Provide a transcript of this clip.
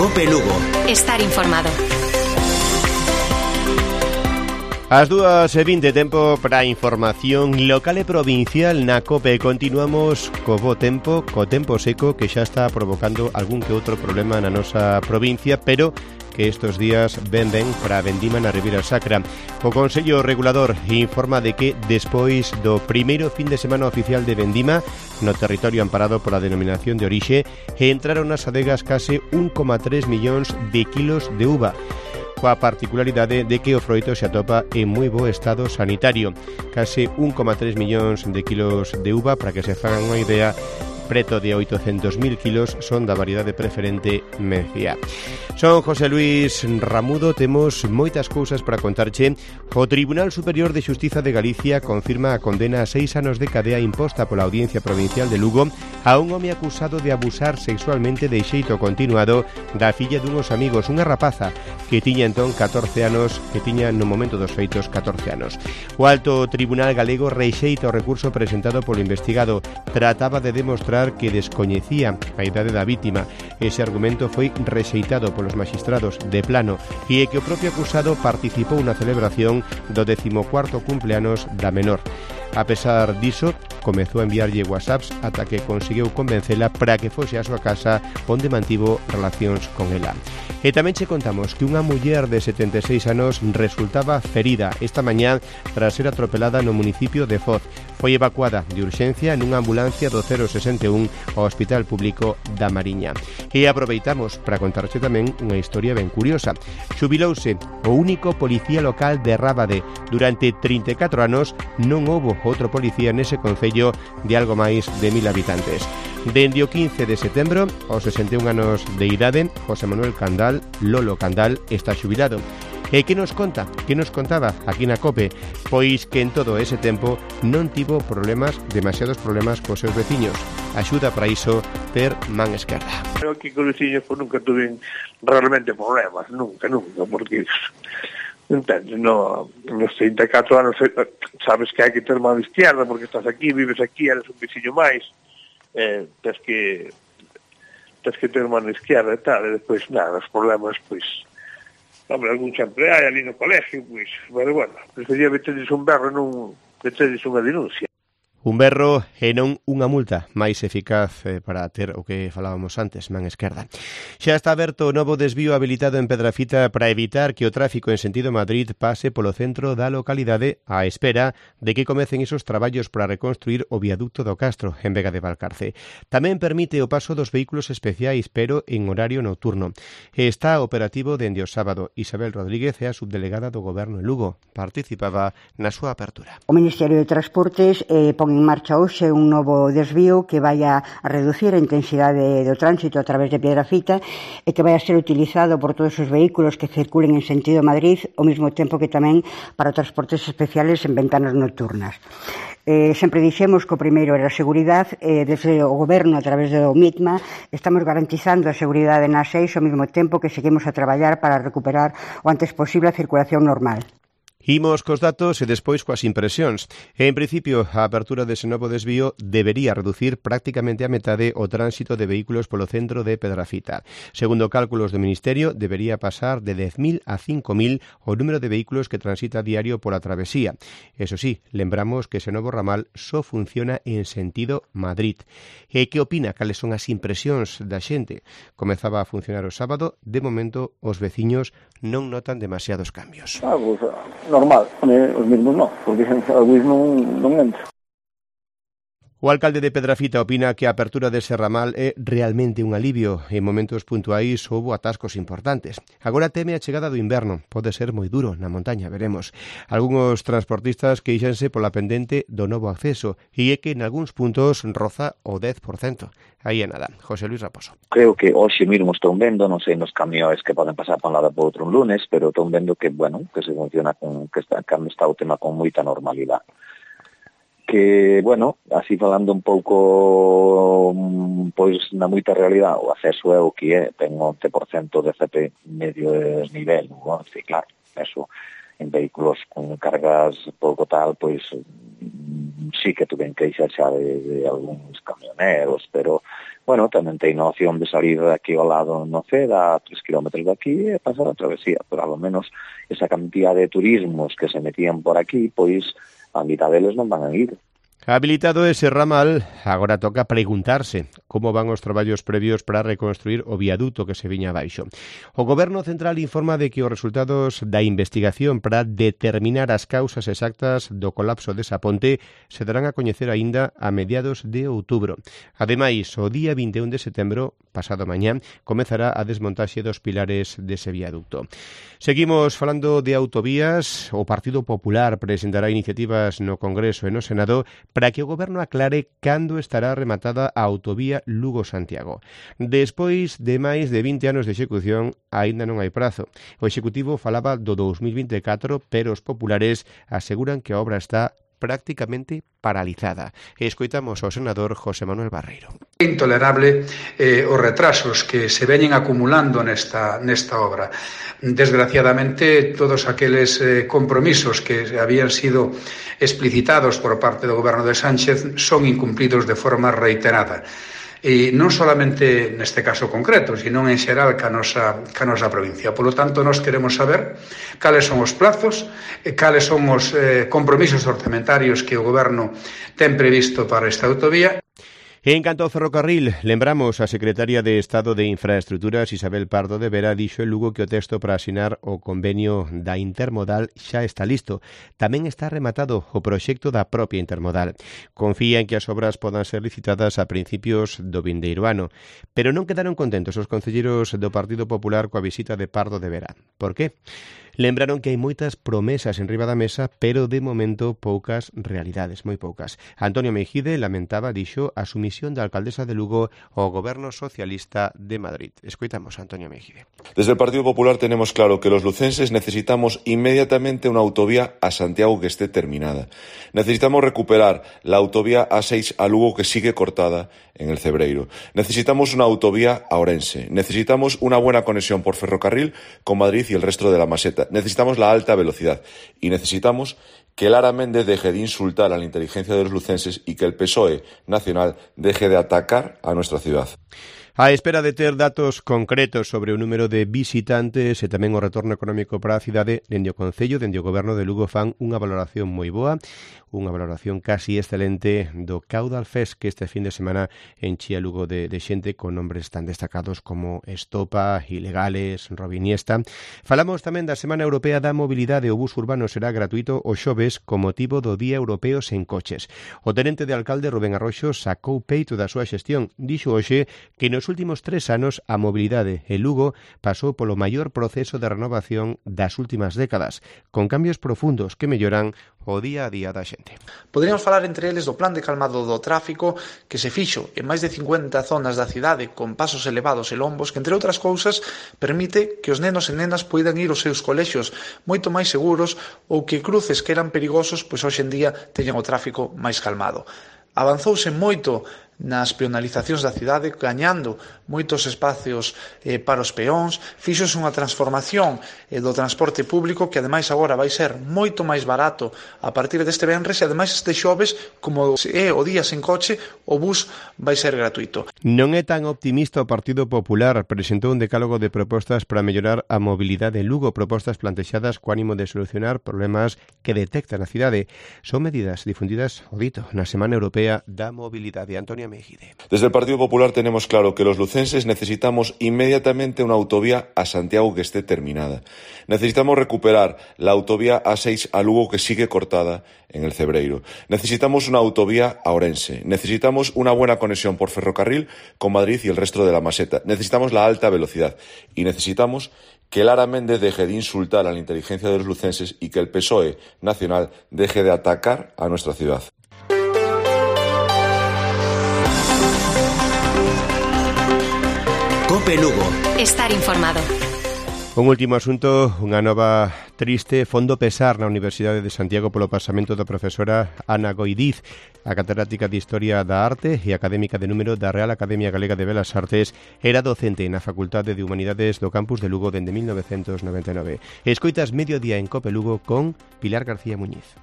COPE Lugo. Estar informado. As 2:20, tempo para información local e provincial na COPE. Continuamos co bo tempo, co tempo seco que xa está provocando algún que outro problema na nosa provincia, pero que estes días ben para a vendima na Ribeira Sacra. O Consello Regulador informa de que despois do primeiro fin de semana oficial de vendima no territorio amparado pola denominación de orixe, entraron nas adegas case 1,3 millóns de kilos de uva, coa particularidade de que o froito se atopa en moi bo estado sanitario. Case 1,3 millóns de kilos de uva, para que se fagan unha idea, preto de 800.000 kilos son da variedade preferente Mencía. Son José Luis Ramudo, temos moitas cousas para contarche. O Tribunal Superior de Xustiza de Galicia confirma a condena a 6 anos de cadea imposta pola Audiencia Provincial de Lugo a un home acusado de abusar sexualmente de xeito continuado da filla dunhos amigos, unha rapaza que tiña entón 14 anos, que tiña no momento dos feitos 14 anos. O Alto Tribunal Galego rexeita o recurso presentado polo investigado. Trataba de demostrar que descoñecía a idade da vítima. Ese argumento foi rexeitado polos magistrados de plano e que o propio acusado participou na celebración do 14º cumpleanos da menor. A pesar diso, comezou a enviarlle whatsapps ata que conseguiu convencela para que fose a súa casa onde mantivo relacións con ela. E tamén che contamos que unha muller de 76 anos resultaba ferida esta mañá tras ser atropelada no municipio de Foz. Foi evacuada de urxencia nunha ambulancia do 061 ao Hospital Público da Mariña. E aproveitamos para contarche tamén unha historia ben curiosa. Xubilouse o único policía local de Rábade. Durante 34 anos non houbo outro policía nese concello de algo máis de 1000 habitantes. Dende o 15 de setembro, aos 61 anos de idade, José Manuel Candal, Lolo Candal, está xubilado. E que nos conta? Que nos contaba aquí na COPE? Pois que en todo ese tempo non tivo demasiados problemas cos seus veciños. Axuda para iso ter man esquerda. Creo que con os veciños nunca tuve realmente problemas, nunca, porque entendes, nos 34 anos sabes que hai que ter man esquerda porque estás aquí, vives aquí, eres un veciño máis, tens que ter man esquerda e tal, e despois nada, os problemas, pois hombre, algún sempre hai ali no colegio, pois, pero bueno, prefería meterles un berro e non meterles unha denuncia. Un berro e non unha multa máis eficaz para ter o que falábamos antes, man esquerda. Xa está aberto o novo desvío habilitado en Pedrafita para evitar que o tráfico en sentido Madrid pase polo centro da localidade á espera de que comecen esos traballos para reconstruir o viaducto do Castro en Vega de Valcarce. Tamén permite o paso dos vehículos especiais, pero en horario nocturno. Está operativo dende o sábado. Isabel Rodríguez é a subdelegada do Goberno en Lugo. Participaba na súa apertura. O Ministerio de Transportes pon en marcha hoxe un novo desvío que vai a reducir a intensidade do tránsito a través de Piedrafita e que vai a ser utilizado por todos os vehículos que circulen en sentido Madrid ao mesmo tempo que tamén para transportes especiales en ventanas nocturnas. Sempre dixemos que o primeiro era a seguridade, desde o Goberno a través do MITMA estamos garantizando a seguridade nas 6 ao mesmo tempo que seguimos a traballar para recuperar o antes posible a circulación normal. Imos cos datos e despois coas impresións. En principio, a apertura dese novo desvío debería reducir prácticamente a metade o tránsito de vehículos polo centro de Pedrafita. Segundo cálculos do Ministerio, debería pasar de 10.000 a 5.000 o número de vehículos que transita a diario pola travesía. Eso sí, lembramos que ese novo ramal só funciona en sentido Madrid. E que opina? Cales son as impresións da xente? Comezaba a funcionar o sábado, de momento os veciños non notan demasiados cambios. Pues, normal, os mesmos non, porque algúns non entro. O alcalde de Pedrafita opina que a apertura dese ramal é realmente un alivio. En momentos puntuais houbo atascos importantes. Agora teme a chegada do inverno. Pode ser moi duro na montaña, veremos. Algúns transportistas queixanse pola pendente do novo acceso e é que en algúns puntos roza o 10%. Aí é nada. José Luis Raposo. Creo que hoxe mesmo estou vendo, non sei nos camións que poden pasar por un lado por outro un lunes, pero estou vendo que, que se funciona que está o tema con moita normalidade. Que, así falando un pouco, pois, na moita realidade, o acceso é o que é, ten 11% de CP medio de nivel, sí, claro, eso, en vehículos con cargas pouco tal, pois, sí que tuven queixas xa de algúns camioneros, pero bueno, tamén ten a opción de salir aquí ao lado no Ceda, a 3 kilómetros de aquí, e pasar a travesía, pero ao menos esa cantidad de turismos que se metían por aquí, pois a mitad deles non van a ir. Habilitado ese ramal, agora toca preguntarse como van os traballos previos para reconstruir o viaduto que se viña abaixo. O Goberno Central informa de que os resultados da investigación para determinar as causas exactas do colapso desa ponte se darán a coñecer aínda a mediados de outubro. Ademais, o día 21 de setembro, pasado mañá, comezará a desmontaxe dos pilares dese viaduto. Seguimos falando de autovías. O Partido Popular presentará iniciativas no Congreso e no Senado para que o Goberno aclare cando estará rematada a autovía Lugo-Santiago. Despois de máis de 20 anos de execución, aínda non hai prazo. O Executivo falaba do 2024, pero os populares aseguran que a obra está prácticamente paralizada. Escoitamos ao senador José Manuel Barreiro. É intolerable os retrasos que se veñen acumulando nesta obra. Desgraciadamente, todos aqueles compromisos que habían sido explicitados por parte do Goberno de Sánchez son incumplidos de forma reiterada. E non solamente neste caso concreto, sino en xeral ca nosa provincia. Por lo tanto, nós queremos saber cales son os plazos, cales son os compromisos orzamentarios que o Goberno ten previsto para esta autovía. En canto ao ferrocarril, lembramos a secretaria de Estado de Infraestructuras, Isabel Pardo de Vera, dixo en Lugo que o texto para asinar o convenio da Intermodal xa está listo. Tamén está rematado o proxecto da propia Intermodal. Confía en que as obras podan ser licitadas a principios do vindeiro ano, pero non quedaron contentos os concelleiros do Partido Popular coa visita de Pardo de Vera. Por qué? Lembraron que hai moitas promesas enriba da mesa, pero de momento poucas realidades, moi poucas. Antonio Mejide lamentaba, dixo, a sumisión da alcaldesa de Lugo ao goberno socialista de Madrid. Escoitamos a Antonio Mejide. Desde el Partido Popular tenemos claro que los lucenses necesitamos inmediatamente una autovía a Santiago que esté terminada. Necesitamos recuperar la autovía A6 a Lugo que sigue cortada en el Cebreiro. Necesitamos una autovía a Orense. Necesitamos una buena conexión por ferrocarril con Madrid y el resto de la Meseta. Necesitamos la alta velocidad y necesitamos que Lara Méndez deje de insultar a la inteligencia de los lucenses y que el PSOE nacional deje de atacar a nuestra ciudad. A espera de ter datos concretos sobre o número de visitantes e tamén o retorno económico para a cidade, dende o Concello, dende o Goberno de Lugo fan unha valoración moi boa, unha valoración casi excelente do Caudal Fest que este fin de semana enchía Lugo de xente con nombres tan destacados como Estopa, Ilegales, Robiniesta. Falamos tamén da Semana Europea da Mobilidade. O bus urbano será gratuito o xoves con motivo do Día Europeo sen coches. O tenente de alcalde Rubén Arroxo sacou peito da súa xestión. Dixo hoxe que nos últimos 3 anos a mobilidade en Lugo pasou polo maior proceso de renovación das últimas décadas, con cambios profundos que melloran o día a día da xente. Poderíamos falar entre eles do plan de calmado do tráfico que se fixo en máis de 50 zonas da cidade con pasos elevados e lombos que, entre outras cousas, permite que os nenos e nenas poidan ir aos seus colexios moito máis seguros ou que cruces que eran perigosos pois hoxe en día teñen o tráfico máis calmado. Avanzouse moito nas peonalizacións da cidade, gañando moitos espacios para os peóns, fixose unha transformación do transporte público que ademais agora vai ser moito máis barato a partir deste venres e ademais este xoves, como é o día sen coche, o bus vai ser gratuito. Non é tan optimista o Partido Popular. Presentou un decálogo de propostas para mellorar a mobilidade en Lugo, propostas plantexadas co ánimo de solucionar problemas que detectan a cidade. Son medidas difundidas, o dito, na Semana Europea da Mobilidade. Antonio Mejide. Desde el Partido Popular tenemos claro que los lucenses necesitamos inmediatamente una autovía a Santiago que esté terminada. Necesitamos recuperar la autovía A6 a Lugo que sigue cortada en el Cebreiro. Necesitamos una autovía a Orense. Necesitamos una buena conexión por ferrocarril con Madrid y el resto de la Meseta. Necesitamos la alta velocidad y necesitamos que Lara Méndez deje de insultar a la inteligencia de los lucenses y que el PSOE nacional deje de atacar a nuestra ciudad. Cope Lugo. Estar informado. Un último asunto, unha nova triste fondo pesar na Universidade de Santiago polo pasamento da profesora Ana Goidiz, a catedrática de Historia da Arte e académica de número da Real Academia Galega de Belas Artes. Era docente na Facultade de Humanidades do campus de Lugo dende 1999. Escoitas Mediodía en Cope Lugo con Pilar García Muñiz.